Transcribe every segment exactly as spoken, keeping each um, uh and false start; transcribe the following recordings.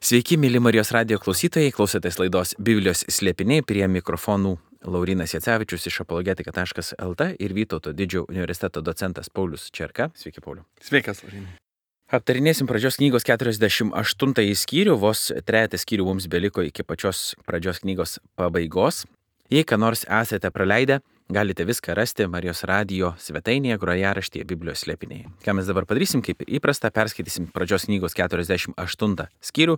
Sveiki, mėly Marijos radijo klausytojai, klausotės laidos Biblijos slėpiniai, prie mikrofonų Laurynas Jacevičius iš apologetika taškas lt ir Vytauto didžiojo universiteto docentas Paulius Čerka. Sveiki, Pauliu. Sveikas, Laurynai. Aptarinėsim pradžios knygos keturiasdešimt aštuntąjį skyrių, vos trejetą skyrių mums beliko iki pačios pradžios knygos pabaigos. Jei ką nors esate praleidę, galite viską rasti Marijos radijo svetainėje grojaraštyje Biblijos slėpiniai. Ką mes dabar padarysim, kaip ir įprasta, perskaitysim pradžios knygos keturiasdešimt aštuntą skyrių,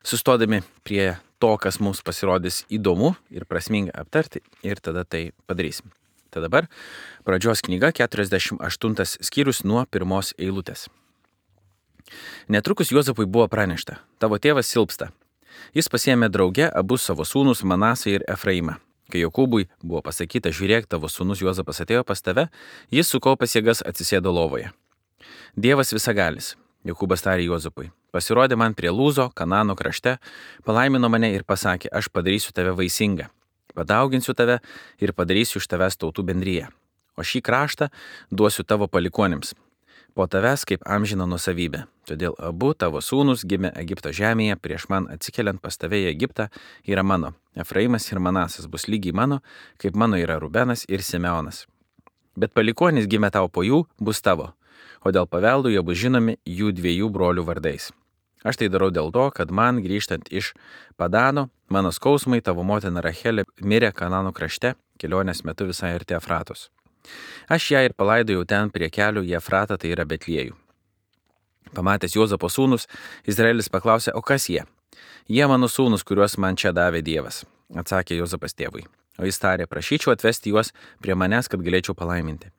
sustodami prie to, kas mums pasirodys įdomu ir prasminga aptarti, ir tada tai padarysim. Tad dabar pradžios knyga keturiasdešimt aštuntas skyrius nuo pirmos eilutės. Netrukus Juozapui buvo pranešta: tavo tėvas silpsta. Jis pasiėmė drauge abu savo sūnus Manasą ir Efraimą. Kai Jokūbui buvo pasakyta: žiūrėk, tavo sūnus Juozapas atėjo pas tave, jis sukaupęs jėgas atsisėdo lovoje. Dievas visagalis, Jokūbas tarė Juozapui, pasirodė man prie Lūzo, Kanano krašte, palaimino mane ir pasakė: aš padarysiu tave vaisingą, padauginsiu tave ir padarysiu iš tavęs tautų bendriją, o šį kraštą duosiu tavo palikuonims, po tavęs kaip amžina nuosavybė. Todėl abu tavo sūnus gimė Egipto žemėje, prieš man atsikeliant pas tave į Egiptą, yra mano. Efraimas ir Manasas bus lygiai mano, kaip mano yra Rubenas ir Simeonas. Bet palikuonis gimė tau po jų, bus tavo, o dėl paveldų jie bus žinomi jų dviejų brolių vardais. Aš tai darau dėl to, kad man grįžtant iš Padano, mano skausmai tavo motina Rachelė mirė Kanano krašte, kelionės metu visai arti Efratos. Aš ją ir palaidojau ten prie kelių į Efratą, tai yra Betliejų. Pamatęs Juozapo sūnus, Izraelis paklausė: o kas jie? Jie mano sūnus, kuriuos man čia davė Dievas, atsakė Juozapas tėvui. O jis tarė: prašyčiau atvesti juos prie manęs, kad galėčiau palaiminti.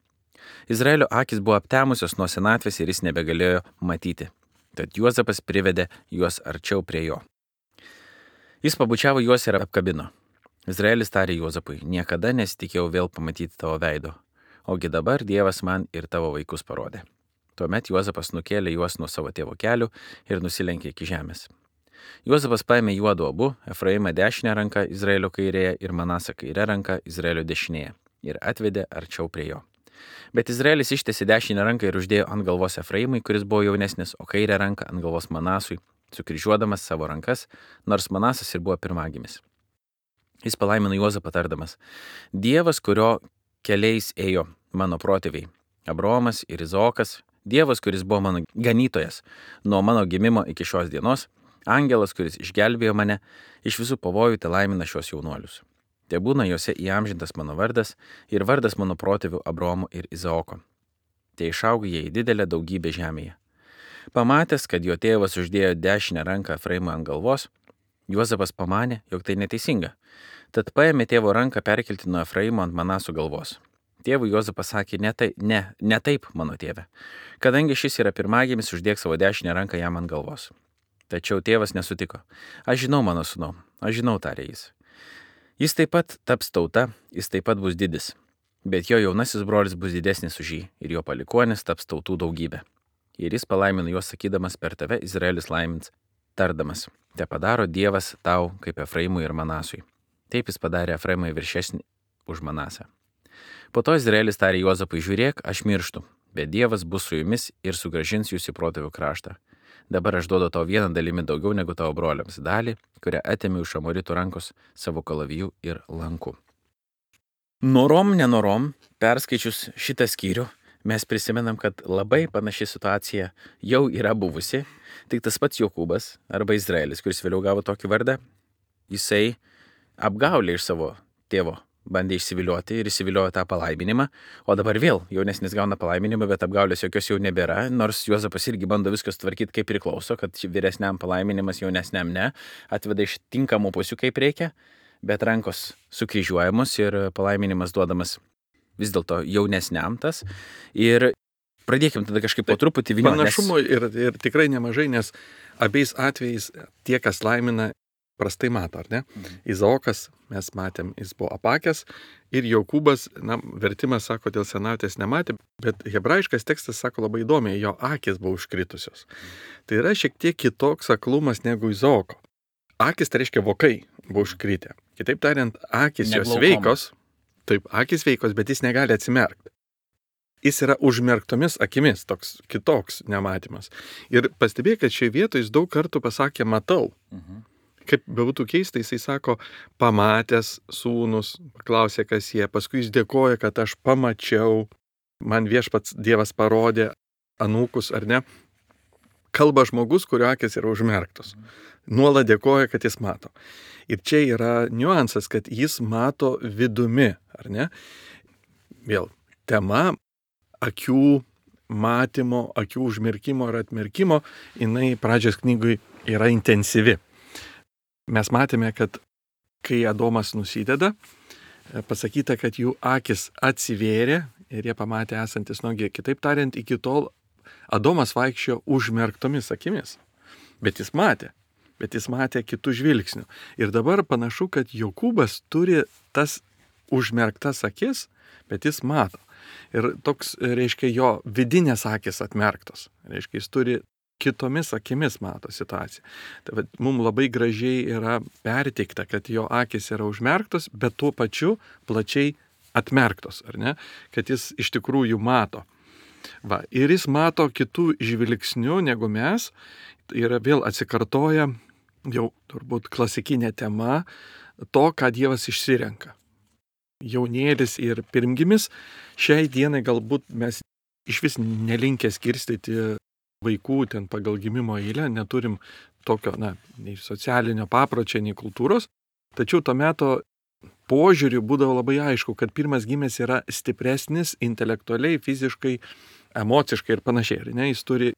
Izraelio akis buvo aptemusios nuo senatvės ir jis nebegalėjo matyti. Tad Juozapas privedė juos arčiau prie jo. Jis pabučiavo juos ir apkabino. Izraelis tarė Juozapui: niekada nesitikėjau vėl pamatyti tavo veido, ogi dabar Dievas man ir tavo vaikus parodė. Tuomet Juozapas nukėlė juos nuo savo tėvo kelių ir nusilenkė iki žemės. Juozapas paėmė juodu abu, Efraimą dešinę ranką Izraelio kairėje ir Manasą kairę ranką Izraelio dešinėje, ir atvedė arčiau prie jo. Bet Izraelis ištiesė dešinę ranką ir uždėjo ant galvos Efraimui, kuris buvo jaunesnis, o kairę ranką ant galvos Manasui, sukryžiuodamas savo rankas, nors Manasas ir buvo pirmagimis. Jis palaimino Juozapą tardamas: Dievas, kurio keliais ėjo mano protėviai, Abraomas ir Izaokas, Dievas, kuris buvo mano ganytojas nuo mano gimimo iki šios dienos, angelas, kuris išgelbėjo mane iš visų pavojų, te laimina šios jaunuolius. Te būna juose įamžintas mano vardas ir vardas mano protėvių Abraomo ir Izaoko. Te išaugo jie į didelę daugybę žemėje. Pamatęs, kad jo tėvas uždėjo dešinę ranką Efraimui ant galvos, Juozapas pamanė, jog tai neteisinga. Tad paėmė tėvo ranką perkelti nuo Efraimo ant Manasų galvos. Tėvui Juozapas sakė: ne, tai, ne, ne taip, mano tėve. Kadangi šis yra pirmagimis, uždėk savo dešinę ranką jam ant galvos. Tačiau tėvas nesutiko. Aš žinau, mano sūnau, aš žinau, tarė jis. Jis taip pat taps tauta, jis taip pat bus didis, bet jo jaunasis brolis bus didesnis už jį ir jo palikuonis taps tautų daugybė. Ir jis palaimino juos sakydamas: per tave Izraelis laimins, tardamas: te padaro Dievas tau kaip Efraimui ir Manasui. Taip jis padarė Efraimui viršesnį už Manasą. Po to Izraelis tarė Juozapui: žiūrėk, aš mirštu, bet Dievas bus su jumis ir sugrąžins jūs į protėvių kraštą. Dabar aš duodu tau vieną dalimi daugiau negu tavo broliams, dalį, kurią atėmiau iš Amoritų rankos savo kalavijų ir lankų. Norom, nenorom, perskaičius šitą skyrių, mes prisimenam, kad labai panaši situacija jau yra buvusi, tik tas pats Jokūbas arba Izraelis, kuris vėliau gavo tokį vardą, jisai apgaulė iš savo tėvo bandė išsivilioti ir išsiviliojo tą palaiminimą, o dabar vėl jaunesnis gauna palaiminimą, bet apgaulės jokios jau nebėra, nors Juozapas irgi bando viskas tvarkyti kaip priklauso, kad vyresniam palaiminimas, jaunesniam ne, atveda iš tinkamų pusių kaip reikia, bet rankos sukryžiuojamos ir palaiminimas duodamas vis dėlto jaunesniam tas. Ir pradėkim tada kažkaip po truputį vynioti. Panašumo nes... ir, ir tikrai nemažai, nes abiais atvejais tie, kas laimina, prastai mato, ar ne? Mhm. Izaokas, mes matėm, jis buvo apakęs, ir Jokūbas, na, vertimas sako, dėl senatvės nematė, bet hebrajiškas tekstas sako labai įdomiai, jo akis buvo užkritusios. Mhm. Tai yra šiek tiek kitoks aklumas negu Izaoko. Akis tai reiškia vokai buvo užkritę. Kitaip tariant, akis jos veikos, taip, akis veikos, bet jis negali atsimerkti. jis yra užmerktomis akimis, toks kitoks nematymas. Ir pastebėjai, kad šioje vietoje jis daug kartų pasakė matau. Mhm. Kaip bebūtų keista, jisai sako, pamatęs sūnus, paklausė, kas jie, paskui jis dėkoja, kad aš pamačiau, man viešpats Dievas parodė anūkus, ar ne? Kalba žmogus, kurio akis yra užmerktos. Nuolat dėkoja, kad jis mato. Ir čia yra niuansas, kad jis mato vidumi, ar ne? Vėl, tema akių matymo, akių užmerkimo ir atmerkimo, jinai pradžios knygui yra intensyvi. Mes matėme, kad kai Adomas nusideda, pasakyta, kad jų akis atsivėrė ir jie pamatė esantis nuogi. Kitaip tariant, iki tol Adomas vaikščiojo užmerktomis akimis, bet jis matė, bet jis matė kitų žvilgsnių. Ir dabar panašu, kad Jokūbas turi tas užmerktas akis, bet jis mato. Ir toks, reiškia, jo vidinės akis atmerktos. Reiškia, jis turi kitomis akimis mato situaciją. Tai mums labai gražiai yra perteikta, kad jo akis yra užmerktos, bet tuo pačiu plačiai atmerktos, ar ne? Kad jis iš tikrųjų mato. Va, ir jis mato kitų žvilgsnių negu mes. Ir vėl atsikartoja jau turbūt klasikinė tema to, ką Dievas išsirenka. Jaunėlis ir pirmgimis. Šiai dienai galbūt mes iš vis nelinkę skirstyti vaikų ten pagal gimimo eilę, neturim tokio, na, nei socialinio papročio, nei kultūros, tačiau to meto požiūriu būdavo labai aišku, kad pirmas gimęs yra stipresnis intelektualiai, fiziškai, emociškai ir panašiai, ir ne, jis turi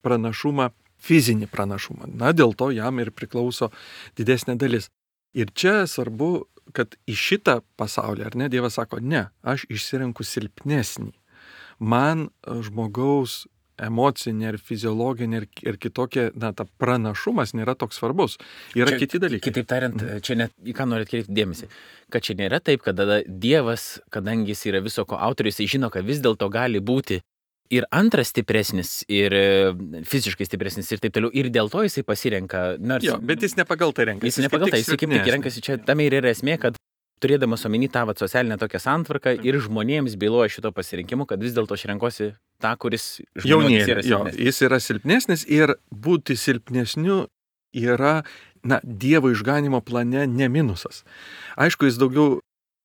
pranašumą, fizinį pranašumą, na, dėl to jam ir priklauso didesnė dalis. Ir čia svarbu, kad į šitą pasaulį, ar ne, Dievas sako, ne, aš išsirenku silpnesnį. Man žmogaus emocinė ir fiziologinė ir, ir kitokia, na, ta pranašumas nėra toks svarbus. Yra čia, kiti dalykai. Kitaip tariant, čia net į ką norit kreipti dėmesį. Kad čia nėra taip, kad tada Dievas, kadangi jis yra viso ko autorius, jis žino, kad vis dėlto gali būti ir antras stipresnis, ir fiziškai stipresnis ir taip toliau. Ir dėl to jisai pasirenka. Nors, jo, bet jis ne pagal tai renkasi. Jis ne pagal tai, jis kaip tik renkasi. Čia tam ir yra esmė, kad turėdamas omeny tą vat, socialinę tokią santvarką ir žmonėms byloja šito pasirinkimu, kad vis dėlto aš renkuosi tą, kuris jaunėlė, jo, jis yra silpnesnis ir būti silpnesniu yra, na, Dievo išganimo plane ne minusas. Aišku, jis daugiau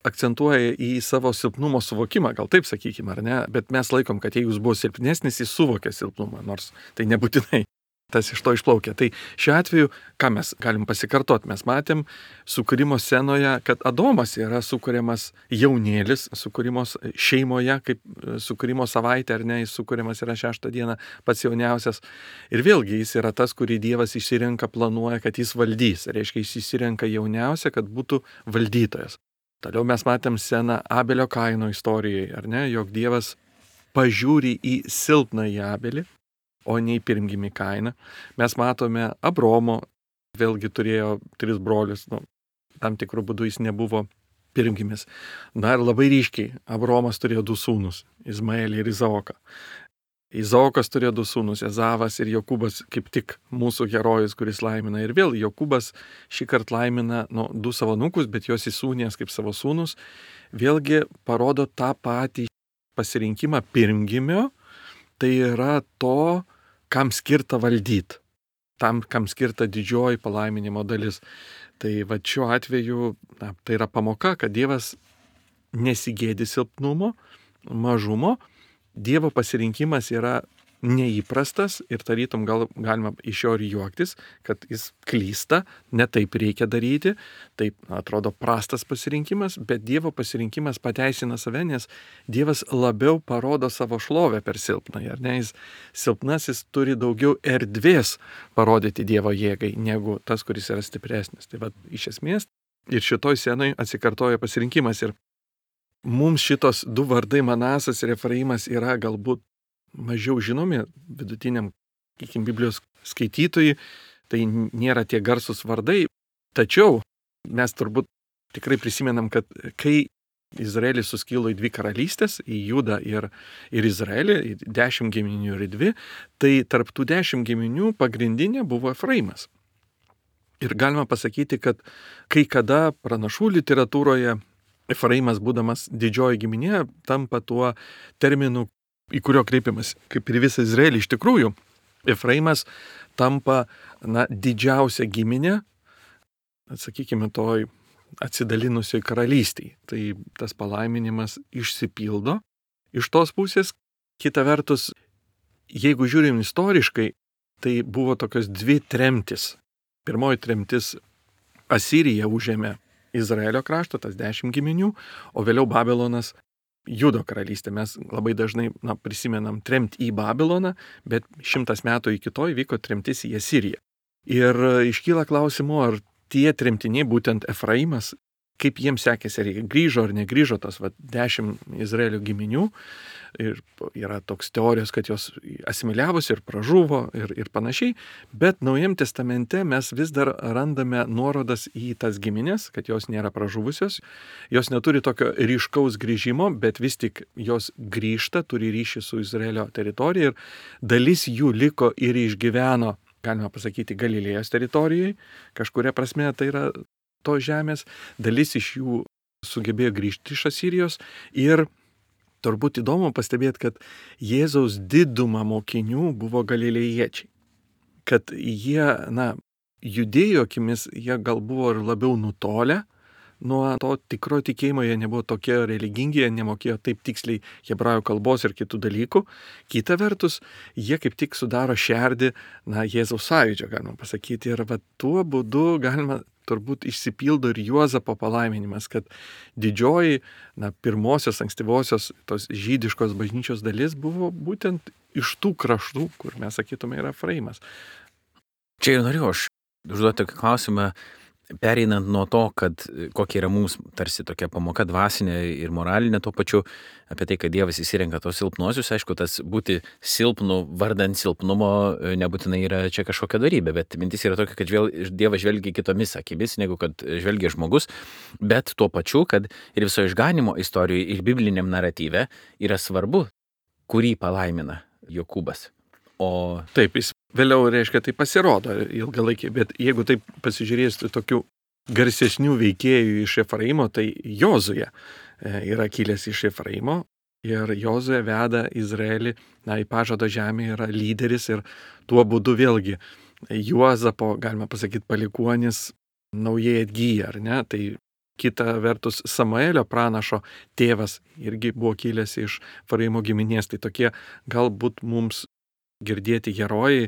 akcentuoja į savo silpnumo suvokimą, gal taip sakykime, ar ne, bet mes laikom, kad jeigu jis buvo silpnesnis, jis suvokė silpnumą, nors tai nebūtinai tas iš to išplaukia. Tai šiuo atveju, ką mes galim pasikartoti, mes matėm sukūrimo scenoje, kad Adomas yra sukūriamas jaunėlis, sukūrimos šeimoje, kaip sukūrimo savaitė, ar ne, jis sukūriamas yra šeštą dieną, pats jauniausias. Ir vėlgi jis yra tas, kurį Dievas išsirenka, planuoja, kad jis valdys. Reiškia, jis išsirenka jauniausią, kad būtų valdytojas. Toliau mes matėm sceną Abelio Kaino istorijai, ar ne, jog Dievas pažiūri į silpnąjį Abelį, o ne į pirmgimį Kainą. Mes matome Abromo, vėlgi turėjo tris brolius, nu, tam tikrų būdų jis nebuvo pirmgimis. Na ir labai ryškiai, Abromas turėjo du sūnus, Izmaelį ir Izaoką. Izaokas turėjo du sūnus, Ezavas ir Jokūbas, kaip tik mūsų herojus, kuris laimina. Ir vėl Jokūbas šį kartą laimina nu, du savo anūkus, bet juos įsūnės kaip savo sūnus. Vėlgi parodo tą patį pasirinkimą pirmgimio, tai yra to, kam skirta valdyti, tam, kam skirta didžioji palaiminimo dalis. Tai va šiuo atveju, na, tai yra pamoka, kad Dievas nesigėdi silpnumo, mažumo. Dievo pasirinkimas yra neįprastas ir tarytum gal galima iš jo ir juoktis, kad jis klysta, ne taip reikia daryti, taip atrodo prastas pasirinkimas, bet Dievo pasirinkimas pateisina save, nes Dievas labiau parodo savo šlovę per silpnąjį, ar ne, jis silpnasis turi daugiau erdvės parodyti Dievo jėgai, negu tas, kuris yra stipresnis. Tai va, iš esmės, ir šitoj scenoj atsikartoja pasirinkimas ir mums šitos du vardai Manasas ir Efraimas yra galbūt mažiau žinomi vidutiniam, sakykim, Biblijos skaitytojui, tai nėra tie garsus vardai, tačiau mes turbūt tikrai prisimenam, kad kai Izraelis suskilo į dvi karalystės, į Judą ir, ir Izraelį, į dešimt giminių ir į dvi, tai tarp tų dešimt giminių pagrindinė buvo Efraimas. Ir galima pasakyti, kad kai kada pranašų literatūroje Efraimas, būdamas didžioji giminė, tampa tuo terminu, į kurio kreipiamas, kaip ir visą Izraelį iš tikrųjų, Efraimas tampa, na, didžiausia giminė, sakykime, toj atsidalinusioj karalystiai. Tai tas palaiminimas išsipildo. Iš tos pusės, kita vertus, jeigu žiūrim istoriškai, tai buvo tokios dvi tremtis. Pirmoji tremtis Asirija užėmė Izraelio kraštą, tas dešimt giminių, o vėliau Babilonas Judo karalystė. Mes labai dažnai na, prisimenam tremtį į Babiloną, bet šimtas metų iki to įvyko tremtis į Asiriją. Ir iškyla klausimų, ar tie tremtiniai, būtent Efraimas, kaip jiems sekėsi, ar jie grįžo ar negrįžo, tas va, dešimt Izraelio giminių. Ir yra toks teorijos, kad jos asimiliavosi ir pražuvo ir, ir panašiai. Bet Naujam testamente mes vis dar randame nuorodas į tas giminės, kad jos nėra pražuvusios. Jos neturi tokio ryškaus grįžimo, bet vis tik jos grįžta, turi ryšį su Izraelio teritorija. Ir dalis jų liko ir išgyveno, galima pasakyti, Galilėjos teritorijoje. Kažkuria prasme tai yra to žemės. Dalis iš jų sugebėjo grįžti iš Asirijos. Ir turbūt įdomu pastebėti, kad Jėzaus diduma mokinių buvo galilėjiečiai. Kad jie, na, judėjo akimis, jie gal buvo ir labiau nutolę nuo to tikro tikėjimo, jie nebuvo tokie religingi, jie nemokėjo taip tiksliai hebrajų kalbos ir kitų dalykų. Kita vertus, jie kaip tik sudaro šerdį, na, Jėzaus sąjūdžio, galima pasakyti. Ir va, tuo būdu galima turbūt išsipildo ir Juozapo palaiminimas, kad didžioji, na, pirmosios, ankstyvosios tos žydiškos bažnyčios dalis buvo būtent iš tų kraštų, kur mes sakytume yra Efraimas. Čia ir norėjau aš užduoti tokį klausimą, pereinant nuo to, kad kokia yra mums tarsi tokia pamoka dvasinė ir moralinė tuo pačiu, apie tai, kad Dievas įsirenka tos silpnuosius, aišku, tas būti silpnu vardant silpnumo nebūtinai yra čia kažkokia darybė, bet mintis yra tokia, kad žvel, Dievas žvelgia kitomis akimis, negu kad žvelgia žmogus, bet tuo pačiu, kad ir viso išganimo istorijoje ir bibliniam naratyve yra svarbu, kurį palaimina Jokūbas. O taip, jis vėliau, reiškia, tai pasirodo ilgalaikiai, bet jeigu taip pasižiūrėsite tokių garsesnių veikėjų iš Efraimo, tai Jozuė yra kilęs iš Efraimo ir Jozuė veda Izraelį, na, į pažado žemę, yra lyderis ir tuo būdu vėlgi Juozapo, galima pasakyti, palikuonis naujai atgyja, ar ne? Tai kita vertus Samuelio pranašo tėvas irgi buvo kilęs iš Efraimo giminės, tai tokie galbūt mums girdėti herojai,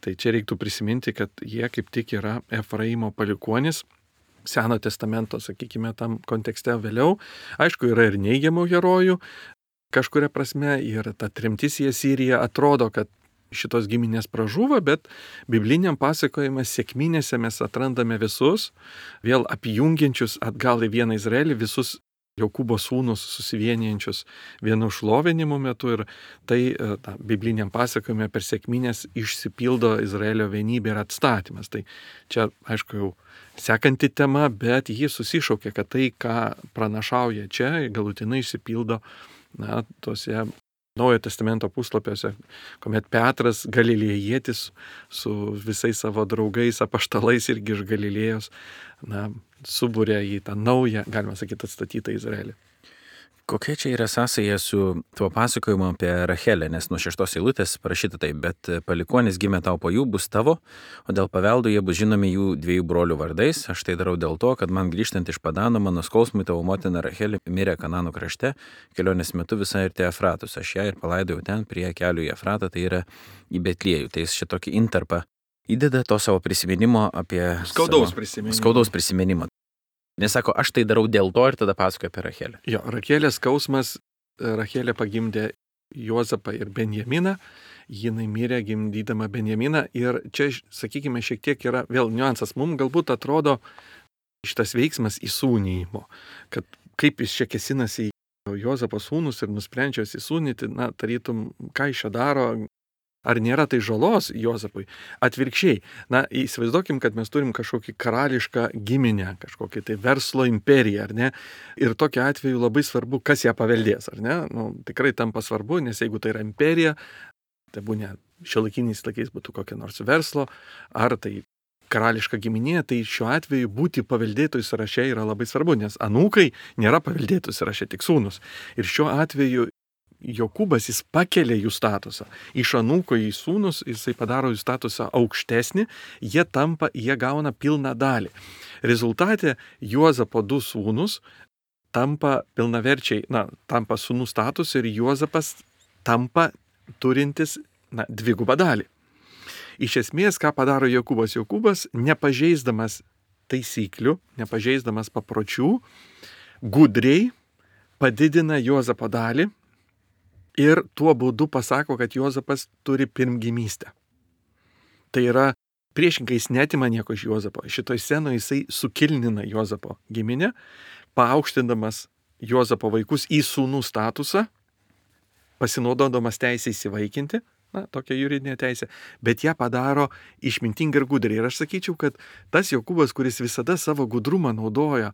tai čia reiktų prisiminti, kad jie kaip tik yra Efraimo palikuonis, Seno testamento, sakykime, tam kontekste vėliau. Aišku, yra ir neigiamų herojų, kažkuria prasme, ir ta tremtis į Asiriją atrodo, kad šitos giminės pražuvo, bet bibliniam pasakojime sėkminėse mes atrandame visus, vėl apjungiančius atgal į vieną Izraelį, visus Jokūbo sūnus susivienijančius vienu šlovinimu metu ir tai ta, bibliniam pasakojime per sėkminės išsipildo Izraelio vienybė ir atstatymas. Tai čia, aišku, jau sekanti tema, bet ji susišaukia, kad tai, ką pranašauja čia, galutinai išsipildo, na, tose Naujojo testamento puslapiuose, kuomet Petras galilėjietis su visais savo draugais, apaštalais irgi iš Galilėjos, na, subūrė į tą naują, galima sakyti, atstatytą Izraelį. Kokia čia yra sąsaja su tuo pasakojimu apie Rachelę, nes nuo šeštos eilutės parašyta taip, bet palikuonis gimė tau po jų, bus tavo, o dėl paveldo jie bus žinomi jų dviejų brolių vardais. Aš tai darau dėl to, kad man grįžtant iš Padano, mano skausmui tavo motina Rachelė mirė Kanano krašte, kelionės metu visai ir te Efratus. Aš ją ir palaidojau ten prie kelių į Efratą, tai yra į Betliejų. Tai jis šitokį intarpą įdeda to savo prisiminimo apie... Skaudaus savo, prisiminimo. Skaudaus prisiminimo. Nesako, aš tai darau dėl to ir tada pasakoja apie Rachelę. Jo, Rachelės skausmas, Rachelė pagimdė Juozapą ir Benjaminą, jinai mirė gimdydama Benjaminą ir čia, sakykime, šiek tiek yra vėl niuansas. Mums galbūt atrodo šitas veiksmas įsūnyjimo, kad kaip jis čia kesinasi į Juozapo sūnus ir nusprendžia įsūnyti, na, tarytum, ką iš čia daro, ar nėra tai žalos Juozapui? Atvirkščiai, na, įsivaizduokim, kad mes turim kažkokį karališką giminę, kažkokį tai verslo imperiją, ar ne? Ir tokiu atveju labai svarbu, kas ją paveldės, ar ne? Nu, tikrai tampa svarbu, nes jeigu tai yra imperija, tai būna šiuolaikiniais laikais būtų kokia nors verslo, ar tai karališka giminė, tai šiuo atveju būti paveldėtojų sąraše yra labai svarbu, nes anūkai nėra paveldėtojų sąraše, tik sūnus. Ir šiuo atveju Jokūbas jis pakelia jų statusą. Iš anūko į sūnus jisai padaro jų statusą aukštesnį, jie tampa, jie gauna pilną dalį. Rezultate Juozapo du sūnus tampa pilnaverčiai, na, tampa sūnų status ir Juozapas tampa turintis, na, dvigubą dalį. Iš esmės, ką padaro Jokūbas? Jokūbas, nepažeisdamas taisyklių, nepažeisdamas papročių, gudriai padidina Juozapo dalį ir tuo būdu pasako, kad Juozapas turi pirmgimystę. Tai yra, priešingai jis netima nieko iš Juozapo. Šitoj scenoje jisai sukilnina Juozapo giminę, paaukštindamas Juozapo vaikus į sūnų statusą, pasinaudodamas teisę įsivaikinti, na, tokia juridinė teisė, bet ją padaro išmintingai ir gudriai. Ir aš sakyčiau, kad tas Jokūbas, kuris visada savo gudrumą naudoja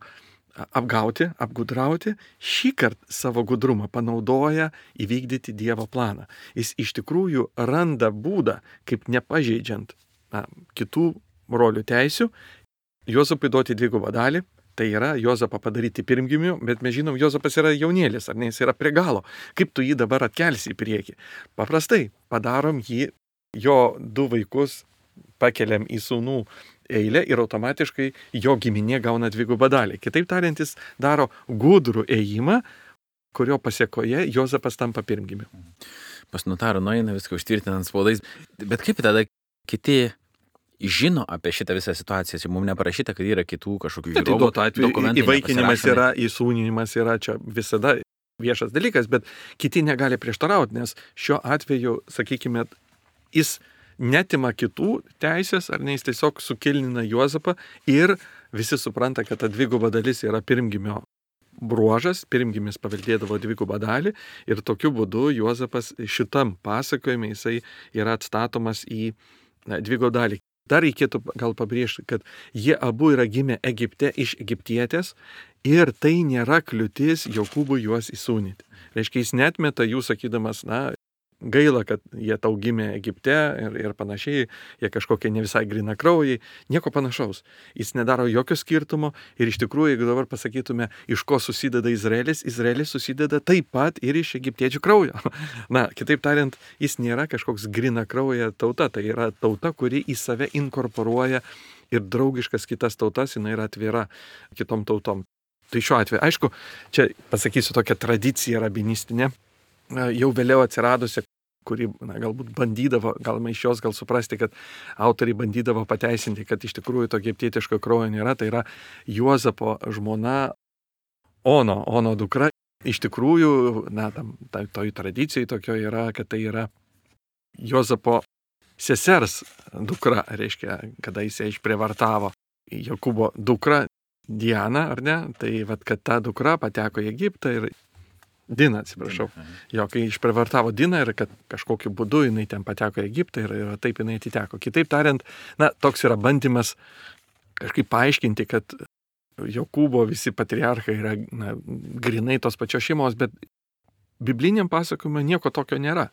apgauti, apgudrauti, šį kartą savo gudrumą panaudoja įvykdyti Dievo planą. Jis iš tikrųjų randa būdą, kaip nepažeidžiant na, kitų brolių teisių, Juozapui duoti dvigubą dalį, tai yra Juozapą padaryti pirmgimiu, bet mes žinom, Juozapas yra jaunėlis, ar ne, jis yra prie galo. Kaip tu jį dabar atkelsi į priekį? Paprastai, padarom jį, jo du vaikus pakeliam į sūnų eilę ir automatiškai jo giminė gauna dvigubą dalį. Kitaip tariant, jis daro gudrų ėjimą, kurio pasiekoje Juozapas tampa pirmgimiu. Pas notarą nueina viską užtvirtinant spaudais. Bet kaip tada kiti žino apie šitą visą situaciją? Mums neparašyta, kad yra kitų kažkokių įrodymų. Įvaikinimas yra, įsūninimas yra čia visada viešas dalykas, bet kiti negali prieštarauti, nes šiuo atveju, sakykime, jis netima kitų teisės, ar ne, jis tiesiog sukilnina Juozapą ir visi supranta, kad ta dviguba dalis yra pirmgimio bruožas, pirmgimis paveldėdavo dvigubą dalį ir tokiu būdu Juozapas šitam pasakojime jisai yra atstatomas į na, dvigubą dalį. Dar reikėtų gal pabrėžti, kad jie abu yra gimę Egipte iš egiptietės ir tai nėra kliūtis Jokūbui juos įsūnyti. Reiškia, jis netmeta jų sakydamas, na, gaila, kad jie tau gimė Egipte ir, ir panašiai, jie kažkokie ne visai grinakraujai, nieko panašaus. Jis nedaro jokio skirtumo ir iš tikrųjų, jeigu dabar pasakytume, iš ko susideda Izraelis, Izraelis susideda taip pat ir iš egiptiečių kraujo. Na, kitaip tariant, jis nėra kažkoks grinakrauja tauta, tai yra tauta, kuri į save inkorporuoja ir draugiškas kitas tautas, jinai yra atvira kitom tautom. Tai šiuo atveju, aišku, čia pasakysiu tokią tradiciją rabinistinę, jau vėliau atsiradusi, kuri na, galbūt bandydavo, galima iš jos gal suprasti, kad autoriai bandydavo pateisinti, kad iš tikrųjų to egiptietiško kraujo nėra, tai yra Juozapo žmona Ono, Ono dukra. Iš tikrųjų, na, tam, tai, toj tradicijai tokio yra, kad tai yra Juozapo sesers dukra, reiškia, kada jis ją išprievartavo Jokūbo dukra Diana, ar ne, tai vat, kad ta dukra pateko į Egiptą ir Dina, atsiprašau. Jo, kai išprievartavo Diną ir kad kažkokiu būdu jinai ten pateko į Egiptą ir, ir taip jinai atiteko. Kitaip tariant, na, toks yra bandymas kažkaip paaiškinti, kad Jokūbo visi patriarchai yra na, grinai tos pačios šeimos, bet bibliniam pasakojime nieko tokio nėra.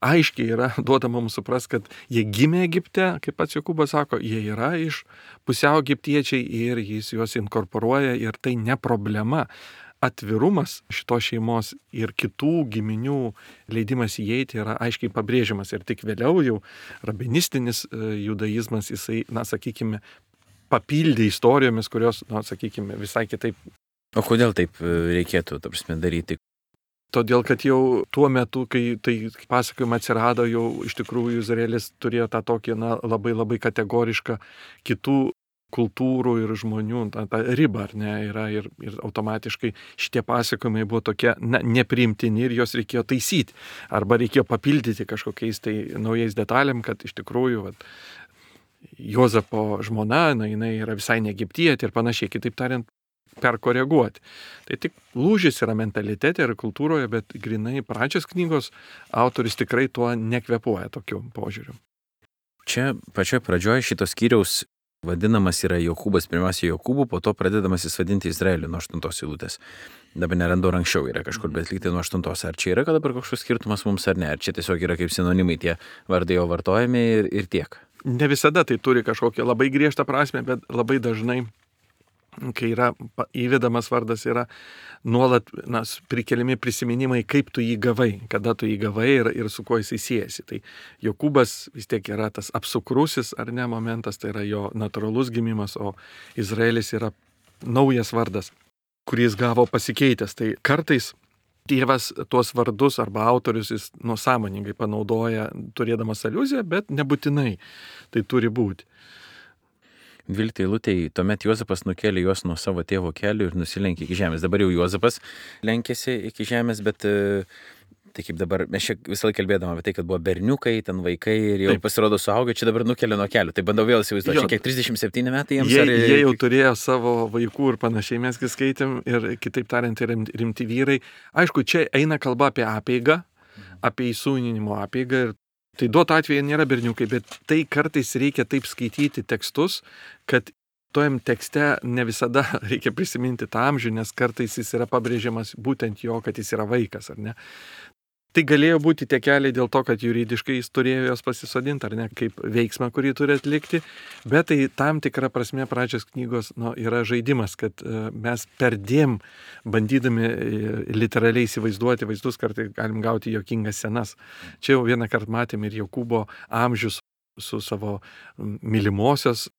Aiškiai yra duodama mums supras, kad jie gimė Egipte, kaip pats Jokūbas sako, jie yra iš pusiau egiptiečiai ir jis juos inkorporuoja ir tai ne problema. Atvirumas šitos šeimos ir kitų giminių leidimas įeiti yra aiškiai pabrėžiamas ir tik vėliau jau rabinistinis judaizmas jisai, na, sakykime, papildė istorijomis, kurios, na, sakykime, visai kitaip. O kodėl taip reikėtų, ta prasme, daryti? Todėl, kad jau tuo metu, kai tai pasakojimai atsirado, jau iš tikrųjų Izraelis turėjo tą tokį, na, labai labai kategorišką kitų kultūrų ir žmonių, tą, tą ribą, ar ne, yra ir, ir automatiškai šitie pasakojimai buvo tokie, na, nepriimtini ir jos reikėjo taisyti, arba reikėjo papildyti kažkokiais tai naujais detalėm, kad iš tikrųjų, vat, Juozapo žmona, na, jinai yra visai ne egiptietė ir panašiai, kitaip tariant, perkoreguoti. Tai tik lūžis yra mentalitete ir kultūroje, bet grinai pradžios knygos autorius tikrai tuo nekvepuoja tokiu požiūriu. Čia pačioje pradžioje šitos skyriaus vadinamas yra Jokūbas, pirmiausia Jokūbu, po to pradedamas jis vadinti Izraeliu nuo aštuntos eilutės. Dabar nerandu, anksčiau yra kažkur, bet lygtai nuo aštuntos. Ar čia yra dabar kažkoks skirtumas mums ar ne? Ar čia tiesiog yra kaip sinonimai tie vardai jo vartojami ir, ir tiek? Ne visada tai turi kažkokią labai griežtą prasme, bet labai dažnai kai yra įvedamas vardas, yra nuolat na, prikeliami prisiminimai, kaip tu jį gavai, kada tu jį gavai ir, ir su kuo jisai siejasi. Tai Jokūbas vis tiek yra tas apsukrusis ar ne momentas, tai yra jo natūralus gimimas, o Izraelis yra naujas vardas, kurį jis gavo pasikeitęs. Tai kartais Dievas tuos vardus arba autorius jis nusąmoningai panaudoja, turėdamas aliuziją, bet nebūtinai tai turi būti. dvyliktai eilutėj, tuomet Juozapas nukėlė juos nuo savo tėvo kelių ir nusilenkė iki žemės. Dabar jau Juozapas lenkėsi iki žemės, bet tai kaip dabar, mes čia visą laiką kalbėdama apie tai, kad buvo berniukai, ten vaikai ir jau Taip. Pasirodo suaugę, čia dabar nukėlė nuo kelių. Tai bandau vėl įsivaizduoti, čia kiek trisdešimt septyni metai jiems. Jie, ar... jie jau turėjo savo vaikų ir panašiai, mes kai skaitėm, ir kitaip tariant, rimti vyrai. Aišku, čia eina kalba apie apeigą, apie įsūninimo apeigą. Ir tai duoto atveju nėra berniukai, bet tai kartais reikia taip skaityti tekstus, kad tojam tekste ne visada reikia prisiminti tą amžių, nes kartais jis yra pabrėžiamas būtent jo, kad jis yra vaikas, ar ne. Tai galėjo būti tie keliai dėl to, kad juridiškai jis turėjo jos pasisodinti, ar ne, kaip veiksmą, kurį turi atlikti, bet tai tam tikra prasme pradžios knygos nu, yra žaidimas, kad mes perdėm bandydami literaliai įsivaizduoti vaizdus, kartais galim gauti juokingas scenas. Čia jau vieną kartą matėm ir Jokūbo amžius su savo mylimosios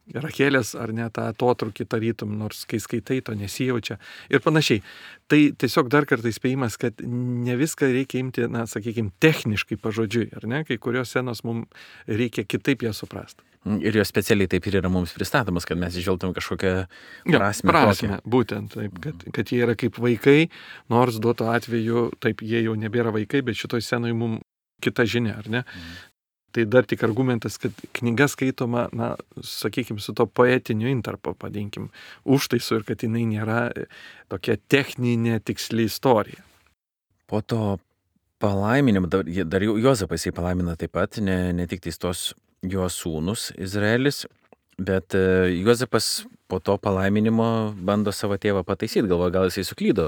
Rachelės ar ne tą atotrūkį tarytum, nors kai skaitai, to nesijaučia ir panašiai. Tai tiesiog dar kartą įspėjimas, kad ne viską reikia imti, na, sakykime, techniškai pažodžiui, ar ne, kai kurios scenos mums reikia kitaip ją suprasti. Ir jos specialiai taip ir yra mums pristatomas, kad mes išžvelgtum kažkokią prasmę. Ja, prasmę, būtent taip, kad, kad jie yra kaip vaikai, nors duoto atveju, taip, jie jau nebėra vaikai, bet šitoj scenoje mums kita žinia, ar ne? Mm. Tai dar tik argumentas, kad knyga skaitoma, na, sakykime, su to poetiniu intarpu, padinkim, užtaisu ir kad jinai nėra tokia techninė tiksli istorija. Po to palaiminimo, dar, dar Juozapas jį palaimina taip pat, ne, ne tik tais tos jo sūnus Izraelis, bet Juozapas po to palaiminimo bando savo tėvą pataisyti, galvoja, gal jisai suklydo,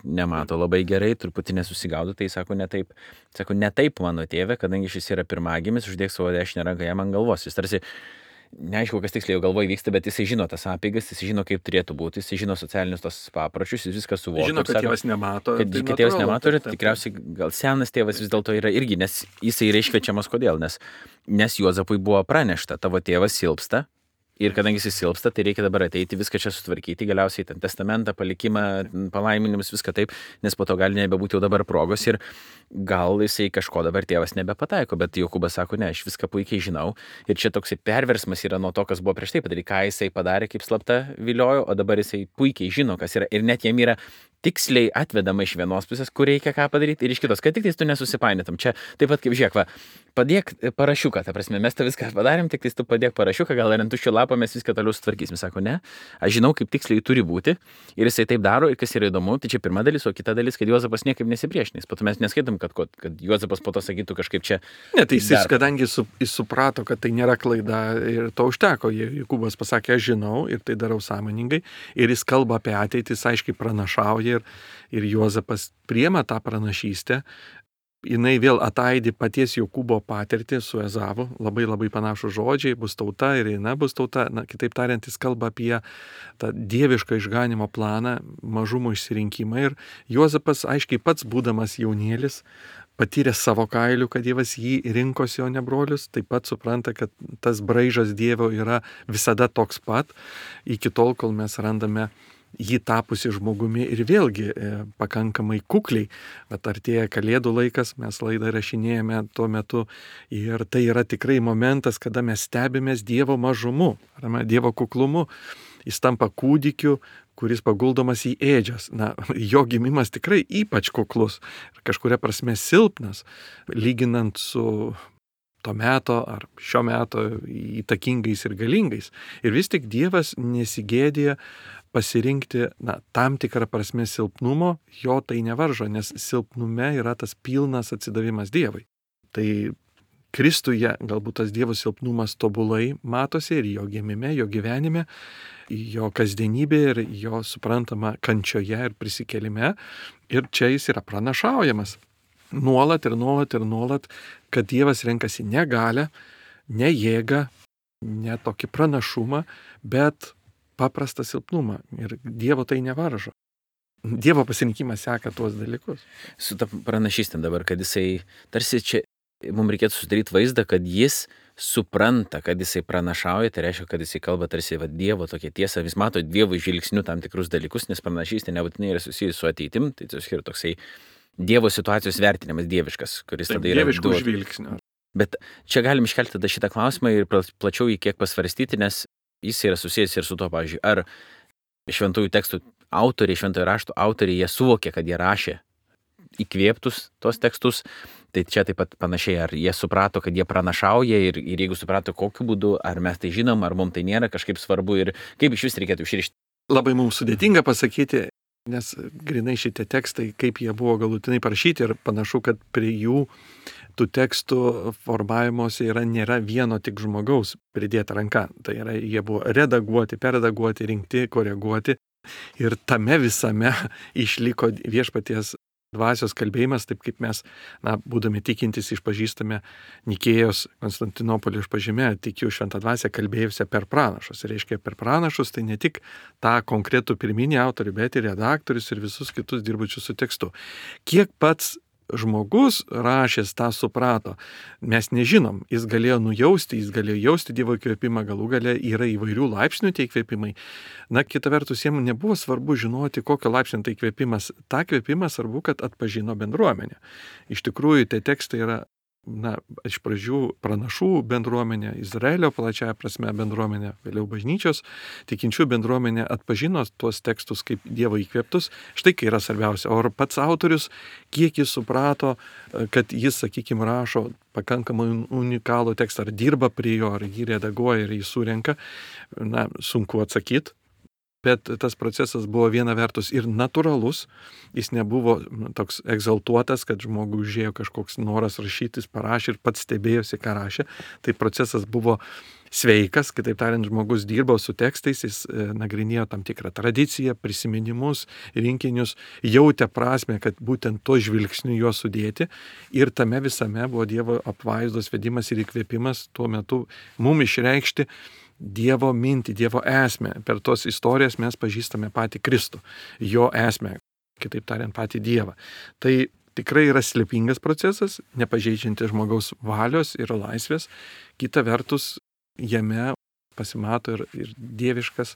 nemato labai gerai, truputį nesusigaudo, tai sako, ne taip, sako, ne taip mano tėvė, kadangi šis yra pirmagimis, uždėk savo dešinę ranką jam ant galvos. Jis tarsi, neaišku, kas tiksliai galvoje vyksta, bet jisai žino tas apeigas, jisai žino, kaip turėtų būti, jisai žino socialinius tos papročius, jis viską suvokia. Žino, kad tėvas nemato. Kad, tai kad tėvas nemato ir tikriausiai gal senas tėvas vis dėlto yra irgi, nes jisai yra iškviečiamas kodėl, nes, nes Juozapui buvo pranešta, tavo tėvas silpsta. Ir kadangi jis silpsta, tai reikia dabar ateiti, viską čia sutvarkyti, galiausiai ten testamentą, palikimą, palaiminimus, viską taip, nes po to gali nebebūti jau dabar progos ir gal jisai kažko dabar tėvas nebepataiko, bet Jokūbas sako, ne, aš viską puikiai žinau. Ir čia toksai perversmas yra nuo to, kas buvo prieš tai padaryti, ką jisai padarė, kaip slapta viliojo, o dabar jisai puikiai žino, kas yra. Ir net jam yra tiksliai atvedama iš vienos pusės, kur reikia ką padaryti, ir iš kitos, kad tik tais tu nesusipainėtum. Čia taip pat kaip žiūrėk, va, padėk parašiuką, ta prasme, mes tą viską padarėm, tik tais tu padėk parašiuką, gal ir ant tuščio lapo mes viską toliau sutvarkysim. Sako, ne, aš žinau, kaip tiksliai turi būti, ir jisai taip daro, ir kas yra įdomu, tai čia pirma dalis, o kita dalis, kad Juozapas niekaip nesipriešinės. Po to mes neskaitom, kad, kad Juozapas po to sakytų kažkaip čia. Ne, tai jis, kadangi su, jis suprato, kad tai nėra klaida, ir to užteko. Jokūbas pasakė, aš žinau, ir tai darau sąmoningai, ir jis kalba apie ateitį, jis aiškiai pranašauja. Ir, ir Juozapas priema tą pranašystę, jinai vėl ataidi paties Jokūbo patirtį su Ezavu, labai labai panašų žodžiai, bus tauta ir eina bus tauta, na, kitaip tariant, jis kalba apie tą dievišką išganimo planą, mažumo išsirinkimą ir Juozapas, aiškiai pats būdamas jaunėlis, patyrė savo kailių, kad Dievas jį rinkosi, o ne brolius, taip pat supranta, kad tas braižas Dievo yra visada toks pat, iki tol, kol mes randame jį tapusi žmogumi ir vėlgi e, pakankamai kukliai, bet artėja Kalėdų laikas, mes laidą rašinėjame tuo metu ir tai yra tikrai momentas, kada mes stebimės Dievo mažumu, arba Dievo kuklumu. Jis tampa kūdikiu, kuris paguldomas į ėdžias. Na, jo gimimas tikrai ypač kuklus ir kažkuria prasme silpnas, lyginant su to meto ar šio meto įtakingais ir galingais. Ir vis tik Dievas nesigėdė pasirinkti, na, tam tikrą prasme silpnumo, jo tai nevaržo, nes silpnume yra tas pilnas atsidavimas Dievui. Tai Kristuje galbūt tas Dievo silpnumas tobulai matosi ir jo gimime, jo gyvenime, jo kasdienybė ir jo suprantama kančioje ir prisikėlime. Ir čia jis yra pranašaujamas. Nuolat ir nuolat ir nuolat, kad Dievas renkasi ne galią, ne jėgą, ne tokį pranašumą, bet paprastą silpnumą ir Dievo tai nevaržo. Dievo pasirinkimas seka tuos dalykus. Su ta pranašystėm dabar, kad jisai, tarsi čia mums reikėtų sudaryti vaizdą, kad jis supranta, kad jisai pranašauja, tai reiškia, kad jisai kalba tarsi va, Dievo tokia tiesa, vis mato Dievo žvilgsnių tam tikrus dalykus, nes pranašystė nebūtinai yra susijusi su ateitim, tai tiesiog yra toksai Dievo situacijos vertinimas dieviškas, kuris Taip, tada yra dieviškų duot- žvilgsnių. Bet čia galim iškelti tada šitą klausimą ir pla- plačiau jį kiek pasvarstyti, nes jis yra susijęs ir su to, pavyzdžiui, ar šventųjų tekstų autoriai, šventojo rašto autoriai, jie suvokė, kad jie rašė įkvėptus tos tekstus, tai čia taip pat panašiai, ar jie suprato, kad jie pranašauja ir, ir jeigu suprato kokiu būdu, ar mes tai žinom, ar mums tai nėra kažkaip svarbu ir kaip iš vis reikėtų išrišti. Labai mums sudėtinga pasakyti, nes grinai šitie tekstai, kaip jie buvo galutinai parašyti ir panašu, kad prie jų tų tekstų formavimuose yra nėra vieno tik žmogaus pridėta ranka. Tai yra, jie buvo redaguoti, perredaguoti, rinkti, koreguoti ir tame visame išliko viešpaties dvasios kalbėjimas, taip kaip mes, na, būdami tikintis, išpažįstame Nikėjos Konstantinopolio išpažime, tikiu šventą dvasią kalbėjusią per pranašus. Ir reiškia, per pranašus tai ne tik tą konkretų pirminį autorių, bet ir redaktorius ir visus kitus dirbučius su tekstu. Kiek pats žmogus rašęs tą suprato, mes nežinom, jis galėjo nujausti, jis galėjo jausti Dievo įkvėpimą, galų gale yra įvairių laipsnių tie įkvėpimai. Na, kita vertus, jiems nebuvo svarbu žinoti, kokio laipsnio tai įkvėpimas. Ta įkvėpimą svarbu, kad atpažino bendruomenė. Iš tikrųjų, tie tekstai yra, na, iš pradžių pranašų bendruomenė, Izraelio plačiaja prasme bendruomenė, vėliau bažnyčios, tikinčių bendruomenė atpažino tuos tekstus kaip Dievo įkvėptus. Štai kai yra svarbiausia. O ar pats autorius, kiek jis suprato, kad jis, sakykime, rašo pakankamai unikalų tekstą, ar dirba prie jo, ar jį redaguoja, ar jį surenka, na, sunku atsakyti. Bet tas procesas buvo viena vertus ir natūralus, jis nebuvo toks egzaltuotas, kad žmogui užėjo kažkoks noras rašytis, parašė ir pats stebėjosi, ką rašė. Tai procesas buvo sveikas, kitaip tariant, žmogus dirbo su tekstais, jis e, nagrinėjo tam tikrą tradiciją, prisiminimus, rinkinius, jautė prasme, kad būtent to žvilgsniu juos sudėti ir tame visame buvo Dievo apvaizdos vedimas ir įkvėpimas tuo metu mum išreikšti Dievo mintį, Dievo esmę. Per tos istorijas mes pažįstame patį Kristų, jo esmę, kitaip tariant, patį Dievą. Tai tikrai yra slėpingas procesas, nepažeidžiantis žmogaus valios ir laisvės. Kita vertus, jame pasimato ir, ir dieviškas,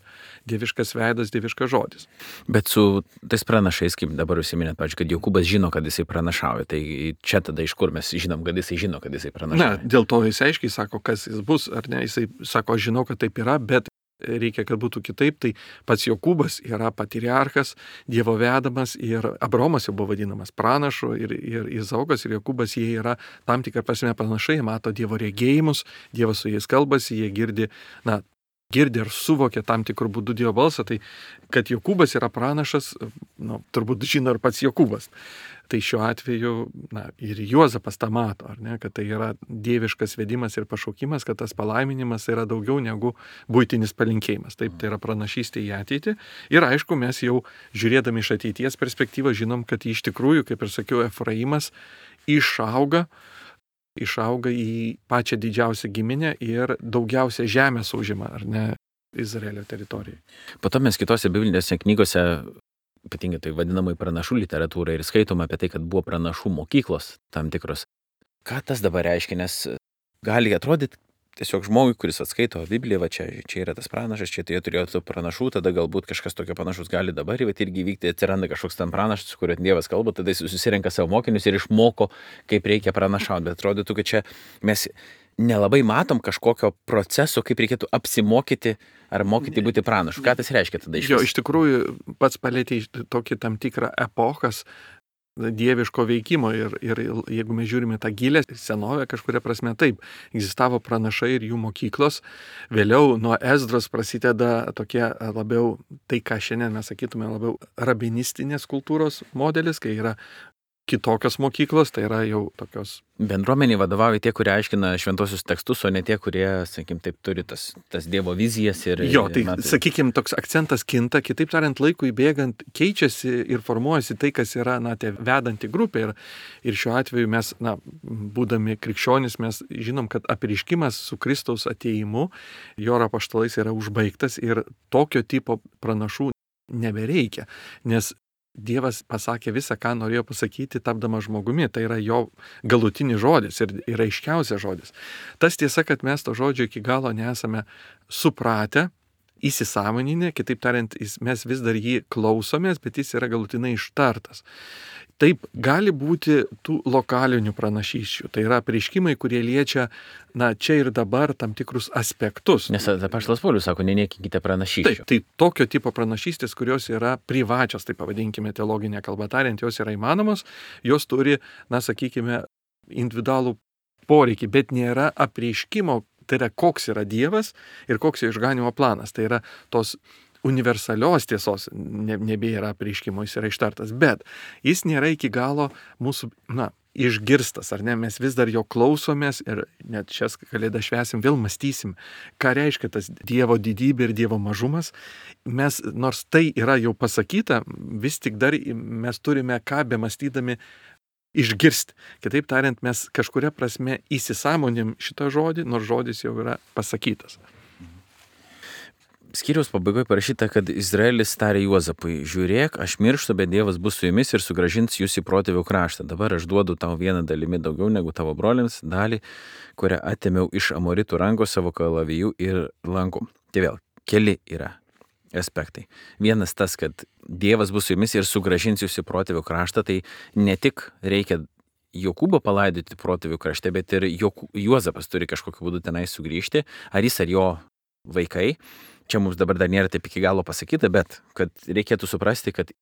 dieviškas veidas, dieviškas žodis. Bet su tais pranašais, kaip dabar užsiminėt, pavyzdžiui, kad Jokūbas žino, kad jisai pranašauja, tai čia tada iš kur mes žinom, kad jisai žino, kad jisai pranašauja. Na, dėl to jis aiškiai sako, kas jis bus, ar ne, jisai sako, aš žinau, kad taip yra, bet reikia, kad būtų kitaip, tai pats Jokūbas yra patriarchas, Dievo vedamas ir Abraomas jau buvo vadinamas pranašu ir, ir Izaokas ir Jokūbas, jie yra tam tikrą prasme panašai, mato Dievo regėjimus, Dievas su jais kalbasi, jie girdi, na, girdi ir suvokia tam tikrų būdų Dievo balsą, tai kad Jokūbas yra pranašas, nu, turbūt žino ir pats Jokūbas. Tai šiuo atveju, na, ir Juozapas tą mato, ar ne, kad tai yra dieviškas vedimas ir pašaukimas, kad tas palaiminimas yra daugiau negu buitinis palinkėjimas. Taip, tai yra pranašystė į ateitį. Ir aišku, mes jau žiūrėdami iš ateities perspektyvą žinom, kad iš tikrųjų, kaip ir sakiau, Efraimas išauga, išauga į pačią didžiausią giminę ir daugiausia žemės užima, ar ne, Izraelio teritorijai. Po to mes kitose biblinėse knygose, ypatingai tai vadinamai pranašų literatūra ir skaitome apie tai, kad buvo pranašų mokyklos tam tikros. Ką tas dabar reiškia, nes gali atrodyti tiesiog žmogui, kuris atskaito Bibliją, va čia, čia yra tas pranašas, čia tai turėjo tų pranašų, tada galbūt kažkas tokio panašus gali dabar, bet irgi vykti, atsiranda kažkoks tam pranašas, su kuriuo Dievas kalba, tada jis susirenka savo mokinius ir išmoko, kaip reikia pranašauti, bet atrodytų, kad čia mes nelabai matom kažkokio proceso, kaip reikėtų apsimokyti ar mokyti būti pranašu. Ką tas reiškia tada iš Jo, vis? iš tikrųjų, pats palėtė tokį tam tikrą epochas dieviško veikimo ir, ir jeigu mes žiūrime tą gilę senovę, kažkuria prasme taip, egzistavo pranašai ir jų mokyklos. Vėliau nuo Ezdros prasideda tokie labiau, tai ką šiandien mes sakytume labiau rabinistinės kultūros modelis, kai yra kitokios mokyklos, tai yra jau tokios. Bendruomeniai vadovauja tie, kurie aiškina šventosius tekstus, o ne tie, kurie, sakykim, taip turi tas, tas Dievo vizijas. Ir, jo, tai, na, tai sakykim, toks akcentas kinta, kitaip tariant, laikui bėgant keičiasi ir formuojasi tai, kas yra, na, tie vedanti grupė. Ir, ir šiuo atveju mes, na, būdami krikščionys, mes žinom, kad apreiškimas su Kristaus atėjimu, jo apaštalais yra užbaigtas ir tokio tipo pranašų nebereikia, nes Dievas pasakė visą, ką norėjo pasakyti, tapdamas žmogumi. Tai yra jo galutinis žodis ir yra aiškiausias žodis. Tas tiesa, kad mes to žodžio iki galo nesame supratę, įsisąmoninę, kitaip tariant, mes vis dar jį klausomės, bet jis yra galutinai ištartas. Taip, gali būti tų lokalinių pranašysčių. Tai yra apreiškimai, kurie liečia, na, čia ir dabar tam tikrus aspektus. Nes apaštalas Paulius sako, neneikinkite pranašysčių. Taip, tai tokio tipo pranašystės, kurios yra privačios, tai pavadinkime teologinę kalbą tariant, jos yra įmanomos, jos turi, na, sakykime, individualų poreikį, bet nėra apreiškimo, tai yra koks yra Dievas ir koks jo išganimo planas. Tai yra tos universalios tiesos ne, nebėra apreiškimo, jis yra ištartas, bet jis nėra iki galo mūsų, na, išgirstas, ar ne, mes vis dar jo klausomės ir net šias kalėdas švęsim, vėl mąstysim, ką reiškia tas Dievo didybė ir Dievo mažumas. Mes, nors tai yra jau pasakyta, vis tik dar mes turime ką bemąstydami išgirsti. Kitaip tariant, mes kažkuria prasme įsisąmonim šitą žodį, nors žodis jau yra pasakytas. Skyriaus pabaigoje parašyta, kad Izraelis tarė Juozapui, žiūrėk, aš mirštu, bet Dievas bus su jumis ir sugrąžins jūs į protėvių kraštą. Dabar aš duodu tau vieną dalimi daugiau negu tavo broliams, dalį, kurią atėmiau iš amoritų rankos savo kalavijų ir lankų. Tai vėl, keli yra aspektai. Vienas tas, kad Dievas bus su jumis ir sugrąžins jūs į protėvių kraštą, tai ne tik reikia Jokūbo palaidoti protėvių krašte, bet ir Jokū, Juozapas turi kažkokiu būdu tenai sugrįžti, ar jis ar jo vaikai. Čia mums dabar dar nėra taip iki galo pasakyta, bet kad reikėtų suprasti, kad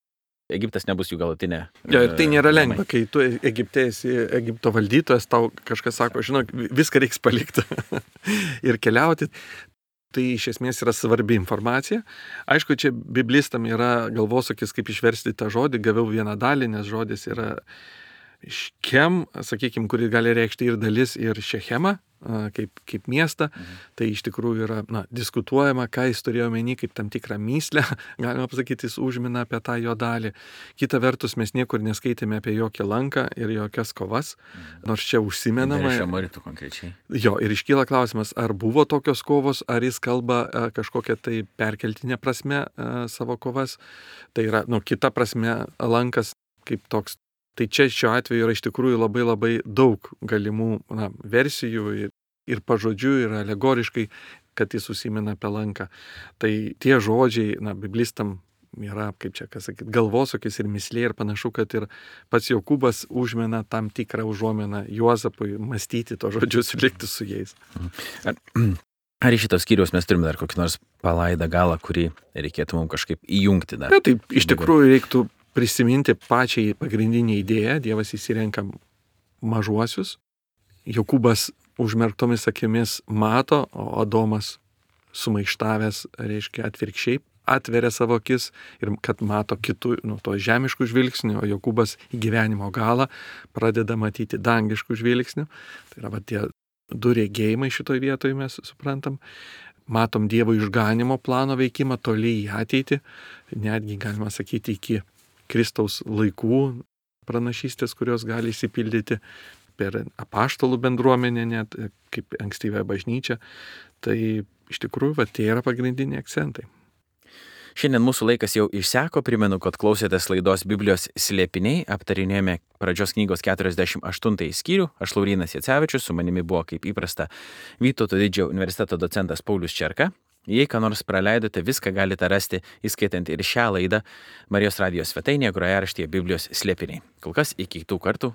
Egiptas nebus jų galutinė. Jo, ir tai nėra lengva, kai tu Egipte esi Egipto valdytojas, tau kažkas sako, žinok, viską reiks palikti ir keliauti. Tai iš esmės yra svarbi informacija. Aišku, čia biblistam yra galvosūkis, kaip išversti tą žodį, gaviau vieną dalį, nes žodis yra Škem, sakykime, kuri gali reikšti ir dalis, ir Šechemą, kaip, kaip miestą. Mhm. Tai iš tikrųjų yra, na, diskutuojama, ką jis turėjo omeny, kaip tam tikrą myslę, galima pasakyti, jis užmina apie tą jo dalį. Kita vertus, mes niekur neskaitėme apie jokią lanką ir jokias kovas, mhm. nors čia užsimenama. Iš amoritų konkrečiai. Jo, ir iškyla klausimas, ar buvo tokios kovos, ar jis kalba a, kažkokią tai perkeltinę prasme a, savo kovas. Tai yra, nu, kita prasme, lankas kaip toks. Tai čia šiuo atveju yra iš tikrųjų labai labai daug galimų, na, versijų ir, ir pažodžių, ir alegoriškai, kad jis užsimena apie lanką. Tai tie žodžiai, na, biblistam yra, kaip čia, kas sakyt, galvosūkis ir mislė, ir panašu, kad ir pats Jokūbas užmena tam tikrą užuomeną Juozapui mąstyti to žodžius ir likti su jais. Ar, ar iš šitos skyriaus mes turime dar kokį nors palaidą galą, kurį reikėtų mums kažkaip įjungti dar? Ja, tai iš tikrųjų reiktų prisiminti pačiai pagrindinį idėją. Dievas įsirenka mažuosius. Jokūbas užmerktomis akimis mato, o Adomas sumaištavęs, reiškia, atvirkščiai atveria savo akis ir kad mato kitų, nu, to žemiškų žvilgsnių, o Jokūbas į gyvenimo galą pradeda matyti dangiškų žvilgsnių. Tai yra va tie du regėjimai šitoj vietoje mes suprantam. Matom Dievo išganimo plano veikimą toli į ateitį, netgi galima sakyti iki Kristaus laikų pranašystės, kurios gali įsipildyti per apaštalų bendruomenę, net kaip ankstyvąją bažnyčią. Tai iš tikrųjų, va, tie yra pagrindiniai akcentai. Šiandien mūsų laikas jau išseko, primenu, kad klausėtės laidos Biblijos slėpiniai, aptarinėjome pradžios knygos keturiasdešimt aštuntąjį skyrių, aš Laurynas Jacevičius, su manimi buvo kaip įprasta Vytauto Didžiojo universiteto docentas Paulius Čerka. Jei ką nors praleidote, viską galite rasti, įskaitant ir šią laidą Marijos radijos svetainėje, grojaraštyje Biblijos slėpiniai. Kol kas iki kitų kartų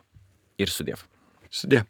ir sudiev. Sudie.